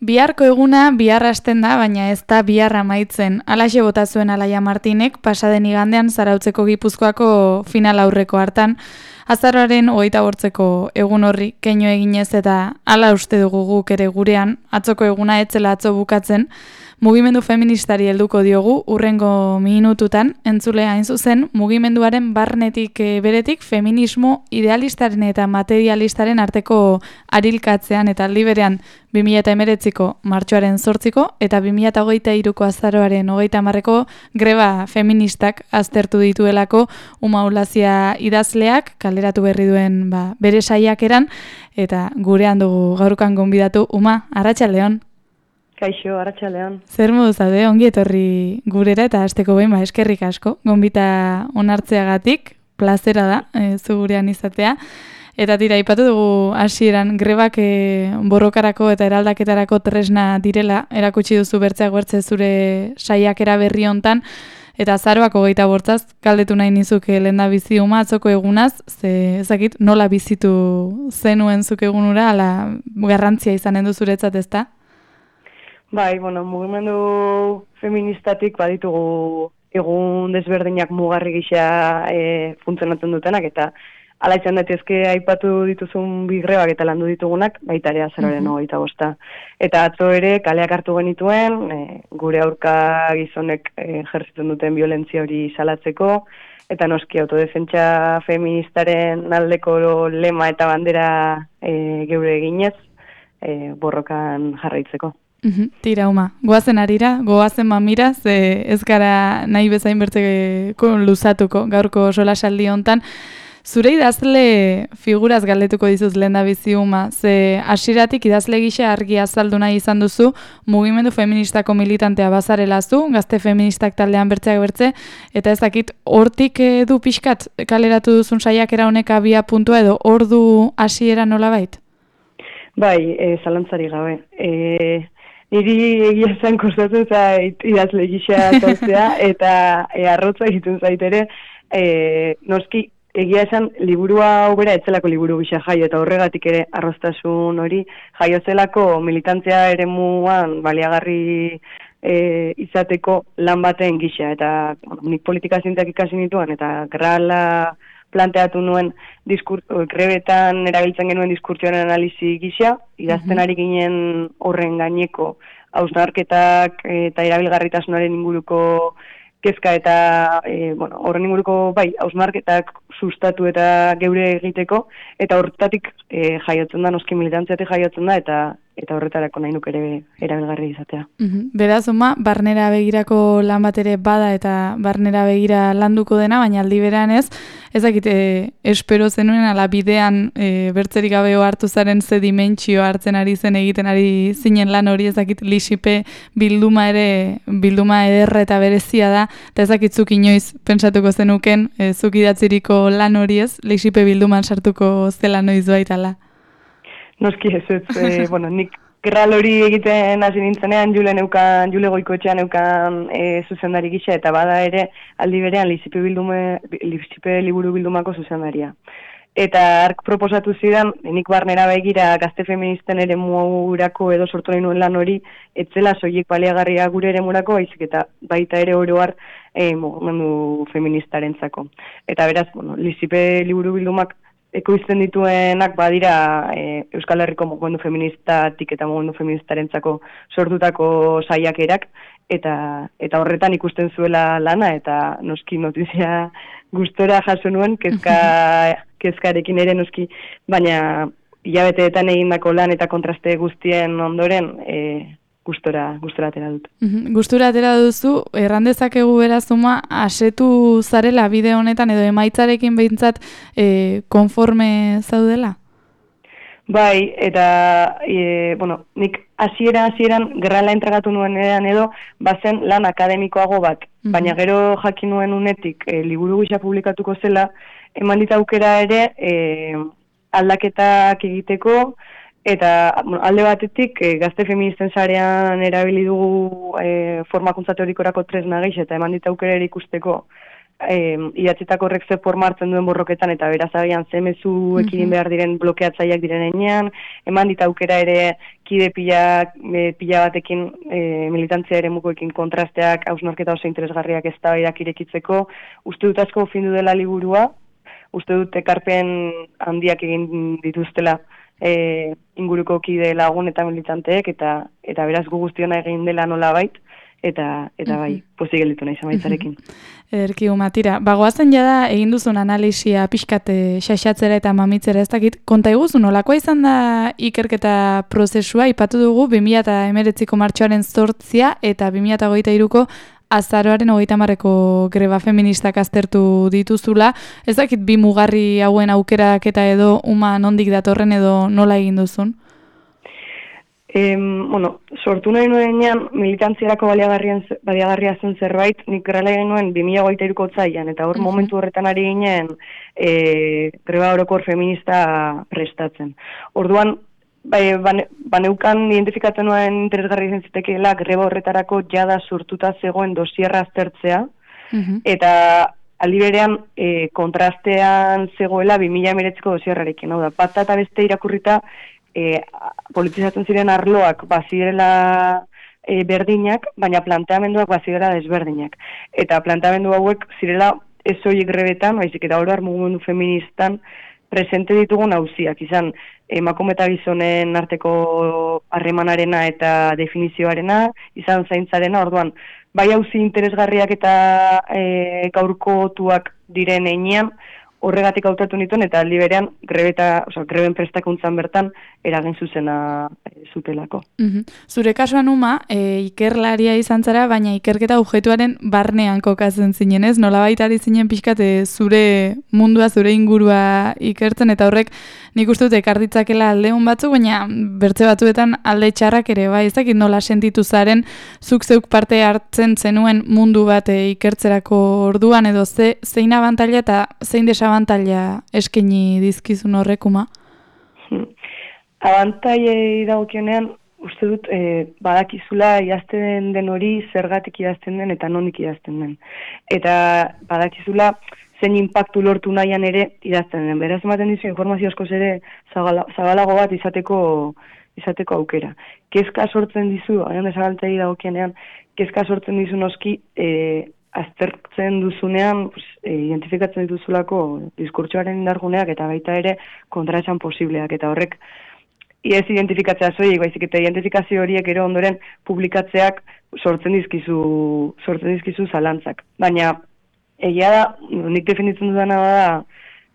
Biharko eguna bihar hasten da, baina ez da bihar amaitzen. Halaxe bota zuen Alaia Martinek pasaden igandean Zarautzeko Gipuzkoako final aurreko hartan, azaroaren 28ko egun horri keinu eginez eta hala uste dugu guk ere gurean, atzoko eguna etzela atzo bukatzen, mugimendu feministari helduko diogu urrengo minututan, entzule hain zuzen, mugimenduaren barnetik beretik feminismo idealistaren eta materialistaren arteko arilkatzean eta aldi berean 2019ko martxoaren 8ko eta 2023ko azaroaren 30ko greba feministak aztertu dituelako Umaulazia idazleak kaleratu berri duen bere saiakeran, eta gurean dugu gaurkan gonbidatu. Uma, arratsaldeon. Kaixo, arratsaldeon. Zer modu zaude, ongi etorri gurera eta hasteko behin eskerrik asko, gonbita onartzeagatik, plazera da, zu gurean izatea. Eta tira, aipatu dugu hasieran grebak borrokarako eta eraldaketarako tresna direla, erakutsi duzu bertzeak bertze zure saiakera berri hontan, eta azaroak 28 galdetu nahi nizuke lehendabizi Uma atzoko egunaz, ze ezakit nola bizitu zenuen zuk egunura, ala garrantzia izanen du zuretzat, ezta? Bai, mugimendu feministatik baditugu egun desberdinak mugarri gisa funtzionatzen dutenak, eta hala izan daitezke aipatu dituzun bi grebak eta landu ditugunak, baita ere azaroaren 25. Eta atzo ere kaleak hartu genituen, gure aurka gizonek jerzitzen duten violentzia hori salatzeko, eta noski autodefentsa feministaren aldeko lema eta bandera geure eginez borrokan jarraitzeko. Tira, Uma, goazen arira, goazen mamira, ze ez gara nahi bezain bertzeko luzatuko gaurko solasaldi hontan. Zure idazle figuraz galdetuko dizuz lehendabizi, Uma, ze hasieratik idazle gisa argi azaldu nahi izan duzu, mugimendu feministako militantea bazarela zu, gazte feministak taldean bertzeak bertze, eta ez dakit hortik du pixkat kaleratu duzun saiakera honek abia puntua edo ordu hasiera nolabait? Bai, zalantzari gabe. Niri egia zen kostatu zait idazle gisa azaltzea, eta arrotza egiten zait ere, noski egia esan liburua ubera etzelako liburu gisa jaio, eta horregatik ere arroztasun hori jaio zelako militantzia eremuan baliagarri izateko lan baten gisa, eta nik politika zientzak ikasi nituen, eta gerrala planteatu nuen grebetan erabiltzen genuen diskurtsioaren analizi gisa, idazten ari ginen horren gaineko hausnarketak eta erabilgarritasunaren inguruko kezka eta horren inguruko hausnarketak sustatu eta geure egiteko, eta horretatik jaiotzen da, noski militantziatik jaiotzen da, eta horretarako nahi nuk ere erabilgarri izatea. Beraz, Uma, barnera begirako lan bat ere bada eta barnera begira landuko dena, baina aldi berean ez dakit, espero zenuen ala bidean bertzerik gabeo hartu zaren ze dimentsio hartzen ari zen egiten ari zinen lan hori, ez dakit Lixipe bilduma ederra eta berezia da, eta ez dakit zuk inoiz pentsatuko zenuken, zuk idatziriko lan hori ez, Lixipe bilduman sartuko zela noiz baitala. Noski ez, nik gerral hori egiten hasi nintzenean Jule Goikoetxean neukan zuzendari gisa, eta bada ere aldi berean Lixipe liburu bildumako zuzendaria. Eta ark proposatu zidan, nik barnera begira gazte feministen ere muurako edo sortu nahi nuen lan hori, etzela soilik baliagarria gure ere murako, baizik eta baita ere oroar mugimendu feministarentzako. Eta beraz, Lixipe liburu bildumak ekoizten dituenak badira Euskal Herriko mugimendu feministatik eta mugimendu feministarentzako sortutako saiakerak, eta horretan ikusten zuela lana, eta noski notizia gustora jaso nuen, kezkarekin ere noski, baina hilabeteetan egindako lan eta kontraste guztien ondoren gustora atera dut. Gustura atera duzu, errandezakegu beraz, Uma, asetu zarela bide honetan edo emaitzarekin behintzat konforme zaudela? Bai, eta nik hasieran gerrala entregatu nuenean edo bazen lan akademikoago bat, baina gero jakin nuen unetik liburu gisa publikatuko zela, eman dit aukera ere aldaketak egiteko, eta alde batetik gazte feministen sarean erabili dugu formakuntza teorikorako tresna gehi, eta eman dit aukera ere ikusteko idatzetako horrek ze forma hartzen duen borroketan, eta beraz agian ze mezu ekidin behar diren blokeatzaileak diren enean, eman dit aukera ere kide pila batekin militantzia ere mukoekin kontrasteak, hausnarketa oso interesgarriak eztabaidak irekitzeko, uste dut asko findu dela liburua, uste dut ekarpen handiak egin dituztela inguruko kide lagun eta militanteek, eta beraz gu guztiona egin dela nolabait, eta bai, pozik gelditu nahi zamaitzarekin. Ederki Matira, bagoazen jada egin duzun analisia pixkate xaxatzera eta mamitzera ez dakit, konta iguzu nolakoa izan da ikerketa prozesua, ipatu dugu 2019ko martxoaren 8 eta 2023ko azaroaren 30ko greba feministak aztertu dituzula, ez dakit bi mugarri hauen aukerak eta edo uma nondik datorren edo nola egin duzun? Sortu nahi nuenean militantziarako baliagarria zen zerbait, nik grela egin nuen 2023ko otsailean, eta hor momentu horretan ari ginen greba orokor feminista prestatzen. Orduan, baneukan identifikatzen nuen interesgarri izan zitekeela greba horretarako jada sortuta zegoen dosierra aztertzea, eta aldi berean kontrastean zegoela 2019ko dosierrarekin, hau da, bat eta beste irakurrita politizatzen ziren arloak bazirela berdinak, baina planteamenduak bazirela desberdinak. Eta planteamendu hauek zirela ez horiek grebetan, baizik eta oro mugimendu feministan presente ditugun auziak, izan emakume eta gizonen arteko harremanarena eta definizioarena, izan zaintzarena, orduan, bai auzi interesgarriak eta gaurkotuak diren einean, horregatik hautatu nituen, eta aldi berean greben prestakuntzan bertan eragin zuzena zutelako. Zure kasuan Uma, ikerlaria izan zara, baina ikerketa objektuaren barnean kokatzen zinen, ez? Nolabait ari zinen pixkat zure mundua, zure ingurua ikertzen, eta horrek nik uste dut ekarditzakela aldeun batzuk, baina bertze batzuetan alde txarrak ere, bai, ez dakit nola sentitu zaren, zuk zeuk parte hartzen zenuen mundu bat ikertzerako orduan, edo zein abantaila eta zein desabantaila eskaini dizkizun horrek, Uma? Abantailei dagokionean, uste dut, badakizula idazten den hori zergatik idazten den eta nondik idazten den. Eta badakizula zein inpaktu lortu nahian ere idazten den. Beraz ematen dizu informazio askoz ere zabalago bat izateko aukera. Kezka sortzen dizu, hain desabantailei dagokionean, kezka sortzen dizu noski, aztertzen duzunean, identifikatzen dituzulako diskurtsoaren indarguneak eta baita ere kontraesan posibleak, eta horrek ez identifikatzea soilik, baizik eta identifikazio horiek ero ondoren publikatzeak sortzen dizkizu zalantzak. Baina egia da, nik definitzen dudana da,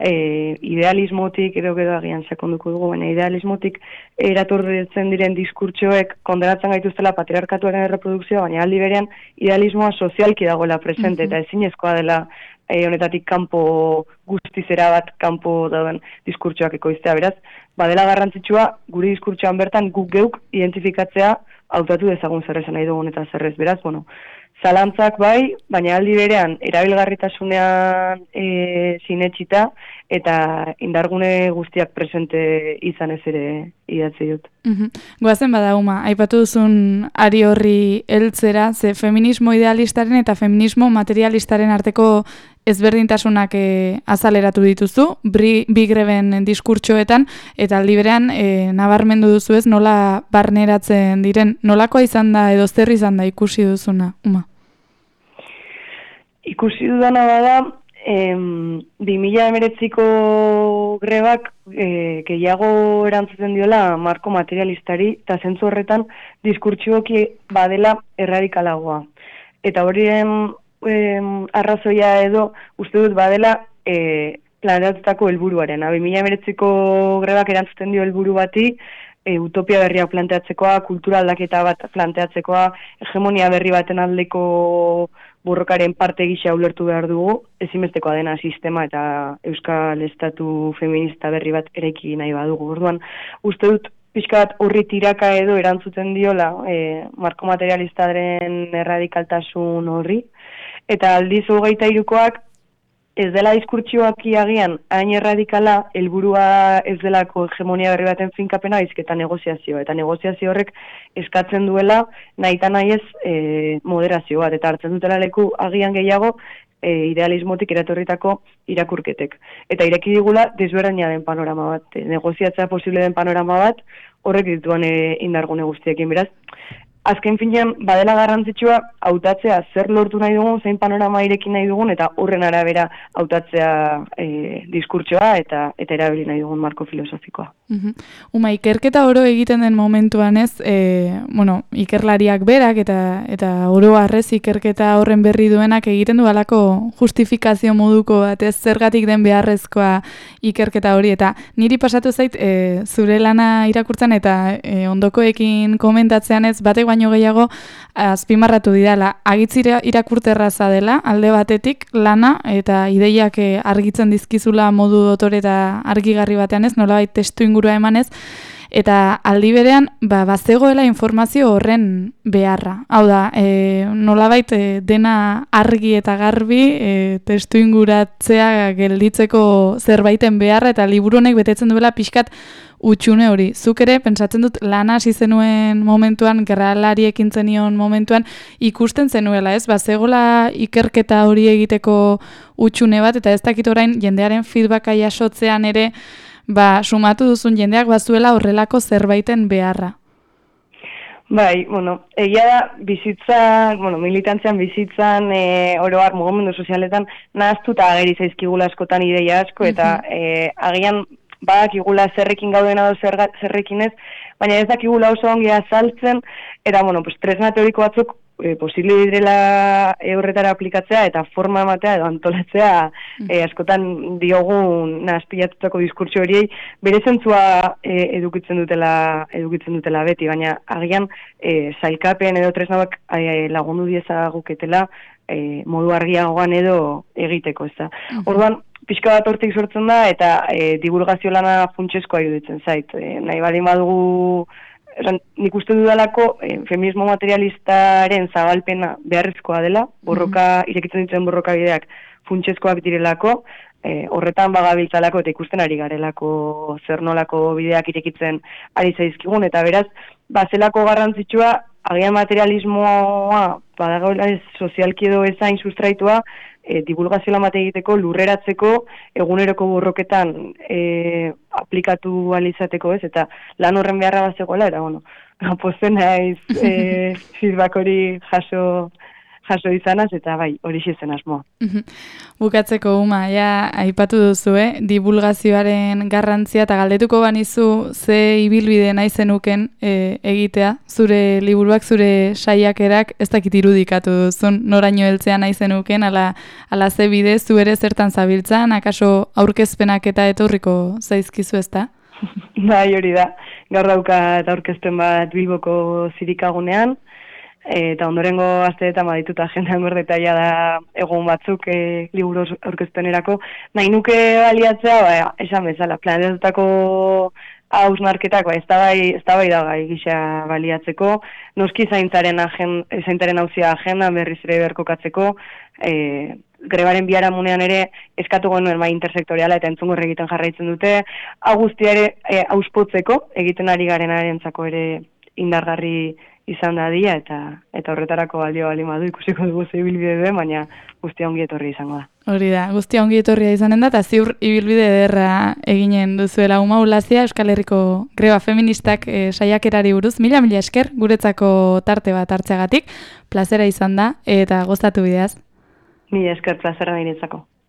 idealismotik, edo agian sakonduko dugu, baina idealismotik eratorretzen diren diskurtsoek kondenatzen gaituztela patriarkatuaren erreprodukzioa, baina aldi berean idealismoa sozialki dagoela presente, eta ezinezkoa dela honetatik kanpo guztizera bat kanpo dauden diskurtsoak ekoiztea. Beraz, badela garrantzitsua gure diskurtsoan bertan guk geuk identifikatzea hautatu dezagun zer esan nahi dugun eta zerrez. Beraz, zalantzak bai, baina aldi berean erabilgarritasunean sinetsita eta indargune guztiak presente izan ez ere idatzi dut. Goazen bada, Uma, aipatu duzun ari horri heltzera, ze feminismo idealistaren eta feminismo materialistaren arteko ezberdintasunak azaleratu dituzu, bi greben diskurtsoetan, eta aldi berean nabarmendu duzu ez nola barneratzen diren, nolakoa izan da edo zer izan da ikusi duzuna, Uma? Ikusi dudana bada, 2019ko grebak gehiago erantzuten diola marko materialistari, eta zentzu horretan diskurtsioki badela erradikalagoa. Eta horien arrazoia edo uste dut badela planteatutako helburuaren. 2019ko grebak erantzuten dio helburu bati, utopia berriak planteatzekoa, kultura aldaketa bat planteatzekoa, hegemonia berri baten aldeko borrokaren parte gisa ulertu behar dugu, ezinbestekoa dena sistema eta euskal estatu feminista berri bat eraiki nahi badugu. Orduan, uste dut pixka bat horri tiraka edo erantzuten diola marko materialistaren erradikaltasun horri, eta aldiz 23koak ez dela diskurtsioak agian hain erradikala, helburua ez delako hegemonia berri baten finkapena, baizik eta negoziazioa. Eta negoziazio horrek eskatzen duela nahita nahi ez moderazio bat, eta hartzen dutela leku agian gehiago idealismotik eratorritako irakurketek. Eta ireki digula desberdina den panorama bat, negoziatzea posible den panorama bat, horrek dituan indargune guztiekin, beraz. Azken finean, badela garrantzitsua hautatzea zer lortu nahi dugun, zein panorama irekin nahi dugun, eta horren arabera hautatzea diskurtsoa eta erabili nahi dugun marko filosofikoa. Uma, ikerketa oro egiten den momentuan ez, ikerlariak berak eta oro harrez ikerketa horren berri duenak egiten du halako justifikazio moduko bat, ez zergatik den beharrezkoa ikerketa hori, eta niri pasatu zait zure lana irakurtzen eta ondokoekin komentatzean ez batek baino gehiago azpimarratu didala. Agitzira irakurterraza dela, alde batetik lana eta ideiak argitzen dizkizula modu dotore eta argigarri batean ez, nolabait testu ingurua emanez, eta aldi berean bazegoela informazio horren beharra. Hau da, nolabait dena argi eta garbi testu inguratzea gelditzeko zerbaiten beharra eta liburu honek betetzen duela pixkat utxune hori. Zuk ere, pentsatzen dut, lana hasi zenuen momentuan, gerralari ekin zenion momentuan, ikusten zenuela, ez? Bazegola ikerketa hori egiteko utxune bat, eta ez dakit orain jendearen feedbacka jasotzean ere, sumatu duzun jendeak bazuela horrelako zerbaiten beharra. Bai, egia da, bizitzan, militantzian bizitzan, oroar mugimendu sozialetan, nahaztuta ageri zaizkigula askotan ideia asko, eta agian badakigula zerrekin gauden edo zerrekin ez, baina ez dakigula oso ongi azaltzen, eta, tresna teoriko batzuk posible direla horretara aplikatzea eta forma ematea edo antolatzea askotan diogun nahazpilatutako diskurtso horiei bere zentzua edukitzen dutela beti, baina agian sailkapen edo tresnabak lagundu diezaguketela modu argiagoan edo egiteko, ez da. Orduan, pixka bat hortik sortzen da eta divulgazio lana funtsezkoa iruditzen zait. Nahi baldin badugu nik uste dudalako feminismo materialistaren zabalpena beharrezkoa dela, irekitzen dituen borroka bideak funtsezkoak direlako, horretan bagabiltzalako eta ikusten ari garelako zer nolako bideak irekitzen ari zaizkigun, eta beraz, zelako garrantzitsua, agian materialismoa, badagoela sozialki edo ezain sustraitua, divulgazio lan bat egiteko, lurreratzeko, eguneroko borroketan aplikatu alizateko ez, eta lan horren beharra bazegoela, eta posten naiz feedback hori jaso izanaz, eta bai, hori zen asmoa. Bukatzeko, Uma, aipatu duzu, divulgazioaren garrantzia, eta galdetuko banizu ze ibilbide nahi zenuken egitea, zure liburuak, zure saiakerak, ez dakit irudikatu duzun, noraino heltzea nahi zenuken, ala ze bide, zu ere zertan zabiltzan, akaso aurkezpenak eta etorriko zaizkizu ezta? Bai, hori da, gaur daukat aurkezpen bat Bilboko zirikagunean, eta ondorengo asteetan badituta agendan gordetaia da egun batzuk liburu aurkezpenerako. Nahi nuke baliatzea, esan bezala, planetutako hausnarketak, eztabaidagai gisa baliatzeko, noski zaintzaren hauzia agendan berriz ere berkokatzeko, grebaren biharamunean ere eskatu genuen intersektoriala eta entzungor egiten jarraitzen dute, guztia ere auspotzeko egiten ari garenarentzako ere indargarri izan da dia, eta horretarako balio bali madu ikusiko dugu ze ibilbide duen, baina guztia ongi etorri izango da. Hori da, guztia ongi etorria izanen da, eta ziur ibilbide ederra eginen duzuela. Uma Ulazia, Euskal Herriko greba feministak saiakerari buruz, mila esker guretzako tarte bat hartzeagatik, plazera izan da, eta gozatu bideaz. Mila esker plazera niretzako.